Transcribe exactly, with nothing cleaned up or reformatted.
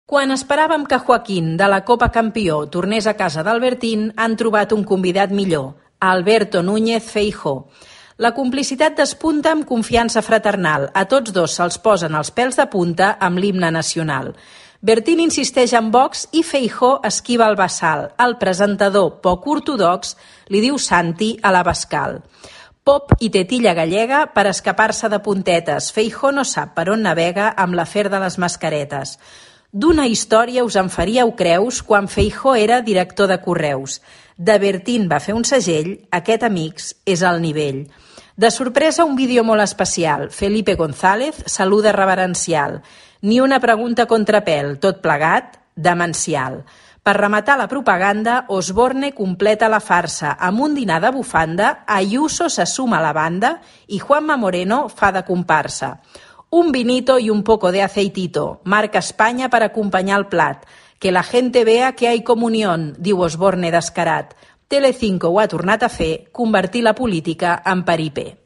Quan esperàvem que Joaquín, de la Copa Campió, tornés a casa d'Albertín, han trobat un convidat millor, Alberto Núñez Feijóo. La complicitat despunta amb confiança fraternal. A tots dos se'ls posen els pèls de punta amb l'himne nacional. Bertín insisteix en Vox i Feijóo esquiva el bassal. El presentador, poc ortodox, li diu Santi a l'Abascal. Pop i tetilla gallega per escapar-se de puntetes. Feijóo no sap per on navega amb l'afer de les mascaretes. D'una història us en faríeu creus quan Feijóo era director de Correus. De Bertín va fer un segell, aquest, amics, és el nivell. De sorpresa, un vídeo molt especial. Felipe González saluda reverencial. Ni una pregunta contrapèl, tot plegat, demencial. Per rematar la propaganda, Osborne completa la farsa. Amb un dinar de bufanda, Ayuso se suma a la banda i Juanma Moreno fa de comparsa. Un vinito y un poco de aceitito, marca Espanya per acompanyar el plat. Que la gente vea que hay comunión, diu Osborne descarat. Telecinco ho ha tornat a fer, convertir la política en paripé.